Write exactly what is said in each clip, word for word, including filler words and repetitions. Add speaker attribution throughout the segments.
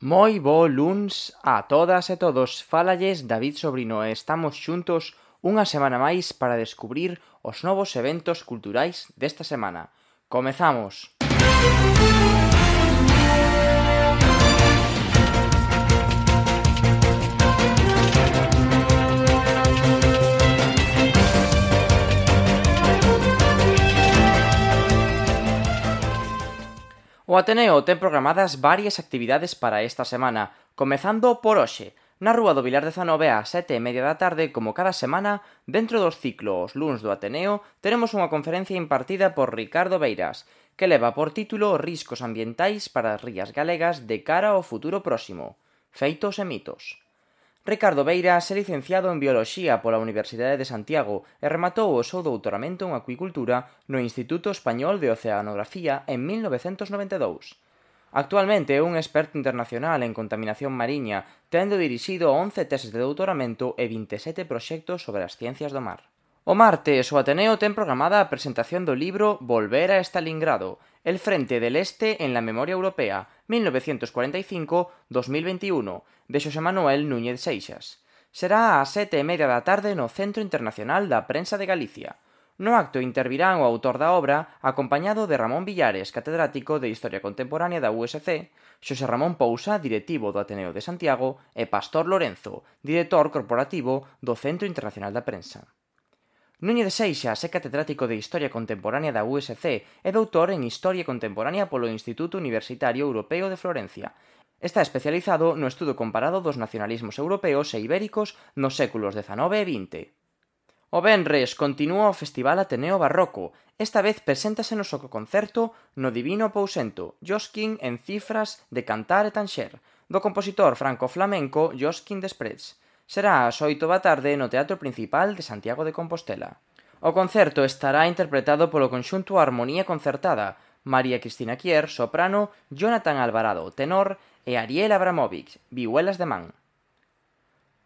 Speaker 1: Moi bo luns a todas e todos, fálalles David Sobrino e estamos xuntos unha semana máis para descubrir os novos eventos culturais desta semana. Comezamos! O Ateneo ten programadas varias actividades para esta semana, comezando por hoxe, na Rúa do Vilar dezanove ás sete e media da tarde, como cada semana, dentro dos ciclos Luns do Ateneo, teremos unha conferencia impartida por Ricardo Beiras, que leva por título Riscos ambientais para as rías galegas de cara ao futuro próximo, feitos e mitos. Ricardo Beiras é licenciado en Bioloxía pola Universidade de Santiago e rematou o seu doutoramento en Acuicultura no Instituto Español de Oceanografía en mil novecentos noventa e dous. Actualmente é un experto internacional en contaminación mariña, tendo dirixido once teses de doutoramento e vinte e sete proxectos sobre as ciencias do mar. O martes, o Ateneo ten programada a presentación do libro Volver a Stalingrado, el frente del Este en la memoria europea, mil novecientos cuarenta e cinco a dos mil veintiuno, de Xosé Manuel Núñez Seixas. Será ás sete e media da tarde no Centro Internacional da Prensa de Galicia. No acto intervirán o autor da obra, acompañado de Ramón Villares, catedrático de Historia Contemporánea da U S C, Xosé Ramón Pousa, directivo do Ateneo de Santiago, e Pastor Lorenzo, director corporativo do Centro Internacional da Prensa. Núñez Seixas é catedrático de Historia Contemporánea da U S C e doutor en Historia Contemporánea polo Instituto Universitario Europeo de Florencia. Está especializado no estudo comparado dos nacionalismos europeos e ibéricos nos séculos dezanove e vinte. O venres continúa o Festival Ateneo Barroco. Esta vez preséntase no concerto No Divino Pousento, Josquin en cifras de cantar e tanxer, do compositor franco-flamenco Josquin Desprez. Será ás oito da tarde no Teatro Principal de Santiago de Compostela. O concerto estará interpretado polo conxunto Armonía Concertada, María Cristina Kier, soprano, Jonathan Alvarado, tenor, e Ariel Abramovic, vihuelas de man.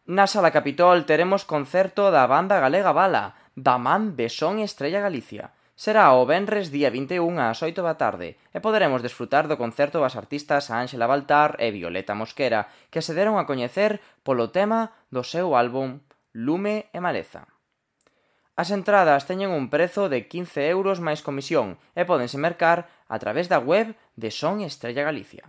Speaker 1: Na Sala Capitol teremos concerto da banda galega Bala, da man de Son Estrella Galicia. Será o venres día vinte e un ás oito da tarde e poderemos desfrutar do concerto das artistas Ángela Baltar e Violeta Mosquera, que se deron a coñecer polo tema do seu álbum Lume e Maleza. As entradas teñen un prezo de quince euros máis comisión e pódense mercar a través da web de Son Estrella Galicia.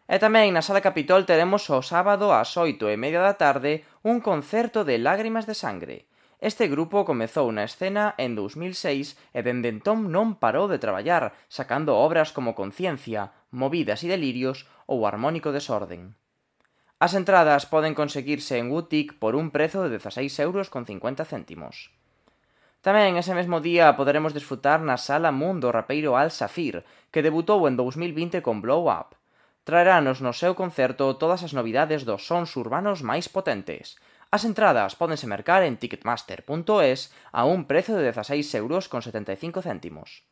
Speaker 1: E tamén na Sala Capitol teremos o sábado ás oito e media da tarde un concerto de Lágrimas de Sangre. Este grupo comezou na escena en dous mil seis e dende entón non parou de traballar, sacando obras como Conciencia, Movidas e Delirios ou Harmónico Desorden. As entradas poden conseguirse en Woodtick por un prezo de dezaseis euros con cincuenta céntimos. Tamén ese mesmo día poderemos desfrutar na Sala Moon do rapeiro Al Safir, que debutou en dous mil vinte con Blow Up. Traerános no seu concerto todas as novidades dos sons urbanos máis potentes. As entradas pódense mercar en ticketmaster punto es a un prezo de dezaseis euros con setenta e cinco céntimos.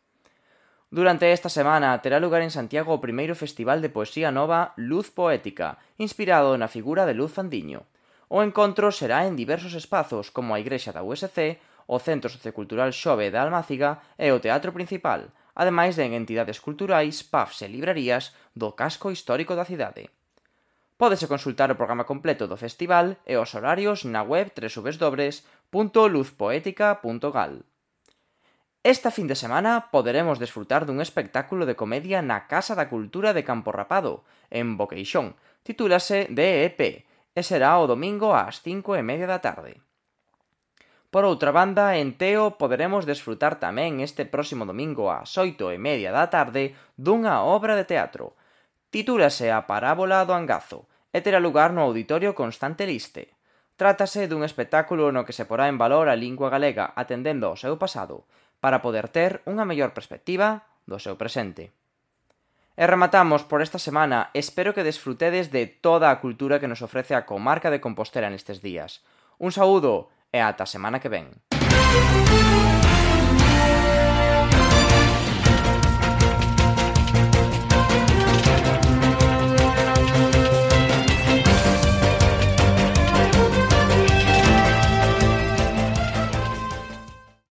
Speaker 1: Durante esta semana terá lugar en Santiago o primeiro festival de poesía nova Luz Poética, inspirado na figura de Luz Fandiño. O encontro será en diversos espazos como a Igrexa da U S C, o Centro Sociocultural Xove da Almáciga e o Teatro Principal, ademais de en entidades culturais, pubs e librarías do casco histórico da cidade. Pódese consultar o programa completo do festival e os horarios na web doble u doble u doble u punto luz poética punto gal. Esta fin de semana poderemos desfrutar dun espectáculo de comedia na Casa da Cultura de Campo Rapado, en Boqueixón. Titúlase D E P e será o domingo ás cinco e media da tarde. Por outra banda, en Teo poderemos desfrutar tamén este próximo domingo ás oito e media da tarde dunha obra de teatro. Titúlase A Parábola do Angazo e terá lugar no Auditorio Constante Liste. Trátase dun espectáculo no que se porá en valor a lingua galega atendendo ao seu pasado, para poder ter unha mellor perspectiva do seu presente. E rematamos por esta semana, espero que desfrutedes de toda a cultura que nos ofrece a comarca de Compostela nestes días. Un saúdo e ata a semana que ven.